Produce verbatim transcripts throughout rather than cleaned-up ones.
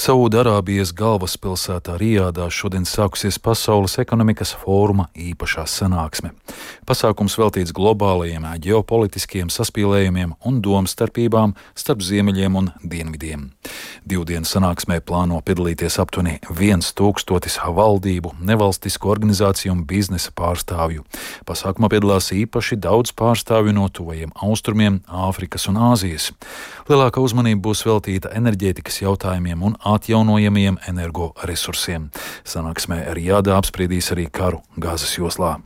Saūda-Arābijas galvaspilsētā Rijādā šodien sākusies Pasaules ekonomikas fóruma īpašā sanāksme. Pasākums veltīts globālajiem ģeopolitiskiem saspīlējumiem un domstarpībām starp ziemeļiem un dienvidiem. Divdienu sanāksmē plāno piedalīties aptuveni viens tūkstotis valdību, nevalstisku organizāciju un biznesa pārstāvju. Pasākumā piedalās īpaši daudz pārstāvju no tuvajiem austrumiem, Āfrikas un Āzijas. Lielākā uzmanība būs veltīta enerģētikas jautājumiem un atjaunojamiem energoresursiem. Sanāksmē Rijādā apspriedīs arī karu Gazas joslā.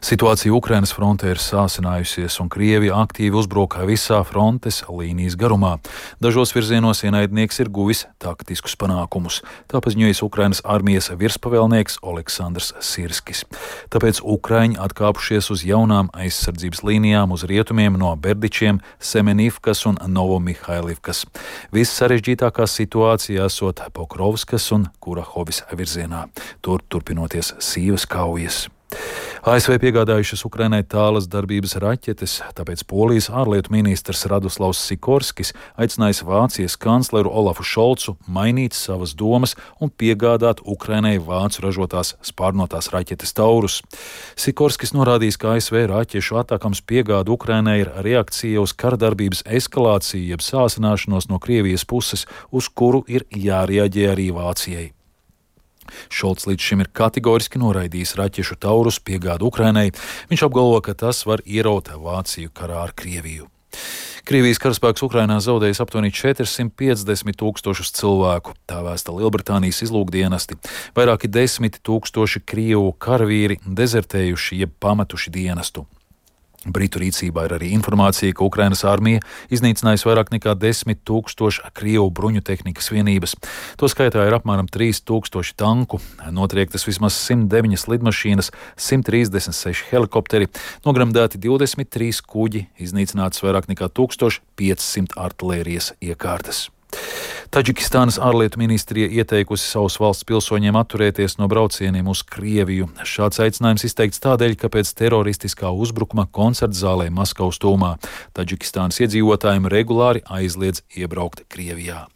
Situācija Ukrainas frontē ir sāsinājusies, un Krievija aktīvi uzbruka visā frontes līnijas garumā. Dažos virzienos ienaidnieks ir guvis taktiskus panākumus, tā paziņojis Ukrainas armijas virspavēlnieks Oleksandrs Sirskis. Tāpēc Ukraiņi atkāpušies uz jaunām aizsardzības līnijām uz rietumiem no Berdičiem, Semenivkas un Novomihailivkas. Viss sarežģītākā situācija esot Pokrovskas un Kurahovis virzienā, tur turpinoties sīvas kaujas. A S V piegādājušas Ukrainai tālas darbības raķetes, tāpēc Polijas ārlietu ministrs Radoslavs Sikorskis aicinājis Vācijas kancleru Olafu Šolcu mainīt savas domas un piegādāt Ukrainai vācu ražotās spārnotās raķetes Taurus. Sikorskis norādījis, ka A S V raķešu atakams piegāda Ukrainai ir reakcija uz kardarbības eskalāciju jeb sāsināšanos no Krievijas puses, uz kuru ir jārieģē arī Vācijai. Šolts līdz šim ir kategoriski noraidījis raķešu Taurus piegādu Ukrainai. Viņš apgalvo, ka tas var ieraut Vāciju karā ar Krieviju. Krievijas karaspēks Ukrainā zaudējis aptuveni četrsimt piecdesmit tūkstošus cilvēku, tā vēsta Lielbritānijas izlūkdienesti. Vairāki desmit tūkstoši krievu karavīri dezertējuši jeb pametuši dienestu. Britu rīcībā ir arī informācija, ka Ukrainas armija iznīcinājusi vairāk nekā desmit tūkstoši krievu bruņu tehnikas vienības. To skaitā ir apmēram trīs tūkstoši tanku, notriektas vismaz simt deviņas lidmašīnas, simt trīsdesmit seši helikopteri, nogremdēti divdesmit trīs kuģi, iznīcinātas vairāk nekā tūkstoš piecsimt artilērijas iekārtas. Taģikistānas ārlietu ministrija ieteikusi savus valsts pilsoņiem atturēties no braucieniem uz Krieviju. Šāds aicinājums izteikts tādēļ, ka pēc teroristiskā uzbrukuma koncertzālē Maskavas tūmā Taģikistānas iedzīvotājiem regulāri aizliedz iebraukt Krievijā.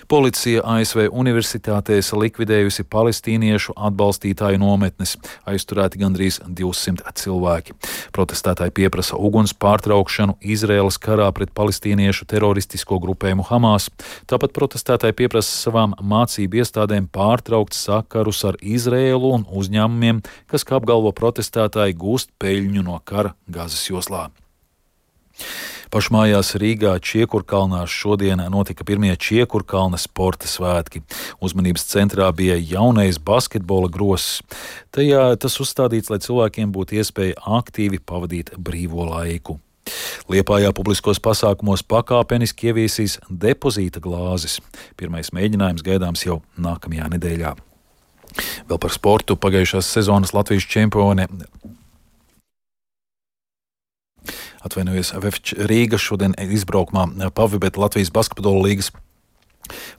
Policija A S V universitātēs likvidējusi palestīniešu atbalstītāju nometnes, aizturēti gandrīz divsimt cilvēki. Protestētāji pieprasa uguns pārtraukšanu Izraēlas karā pret palestīniešu teroristisko grupējumu Hamas. Tāpat protestētāji pieprasa savām mācību iestādēm pārtraukt sakarus ar Izraēlu un uzņēmumiem, kas, kā apgalvo protestētāji, gūst peļņu no kara Gazas joslā. Pašmājās Rīgā Čiekurkalnā šodien notika pirmie Čiekurkalna sporta svētki. Uzmanības centrā bija jaunais basketbola gross. Tajā tas uzstādīts, lai cilvēkiem būtu iespēja aktīvi pavadīt brīvo laiku. Liepājā publiskos pasākumos pakāpeniski ieviesīs depozīta glāzes. Pirmais mēģinājums gaidāms jau nākamajā nedēļā. Vēl par sportu pagājušās sezonas Latvijas čempione Atvainojos, Vefč Rīga šodien izbraukumā pavibet Latvijas basketbola līgas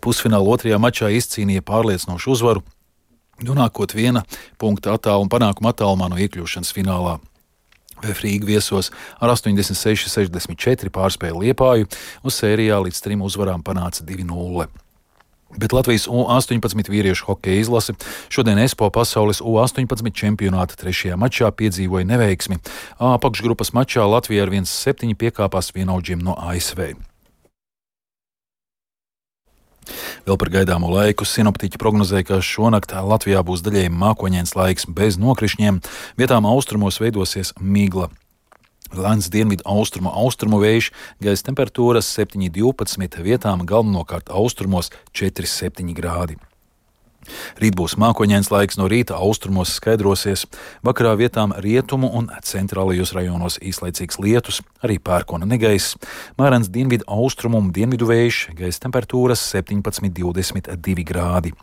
pusfināla otrajā mačā izcīnīja pārliecinošu uzvaru, nonākot viena punkta attālu un panākuma attālumā no iekļūšanas finālā. Vef Rīga viesos ar astoņdesmit seši sešdesmit četri pārspēja Liepāju, un sērijā līdz trim uzvarām panāca divi nulle. Bet Latvijas U astoņpadsmit vīriešu hokeja izlase šodien ESPO pasaules U astoņpadsmit čempionāta trešajā mačā piedzīvoja neveiksmi. A apakšgrupas mačā Latvija ar viens septiņi piekāpās vienaudžiem no A S V. Vēl par gaidāmo laiku sinoptiķi prognozēja, ka šonakt Latvijā būs daļēji mākoņains laiks bez nokrišņiem, vietām austrumos veidosies migla. Lēns dienvidu austrumu austrumu vējš, gaisa temperatūras septiņi divpadsmit, vietām galvenokārt austrumos četri septiņi grādi. Rīt būs mākoņains laiks, no rīta austrumos skaidrosies, vakarā vietām rietumu un centrālajos rajonos īslaicīgs lietus, arī pērkona negaiss, mērens dienvidu austrumu un dienvidu vējš, gaisa temperatūras septiņpadsmit divdesmit divi grādi.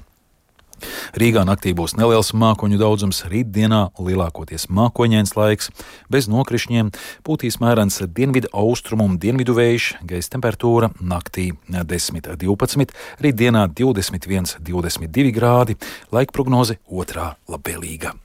Rīgā naktī būs neliels mākoņu daudzums, rītdienā lielākoties mākoņains laiks, bez nokrišņiem, pūtīs mērens dienvidu austrumu un dienvidu vējš, gaisa temperatūra naktī desmit divpadsmit, rītdienā divdesmit viens divdesmit divi grādi, laika prognoze otrā labvēlīga.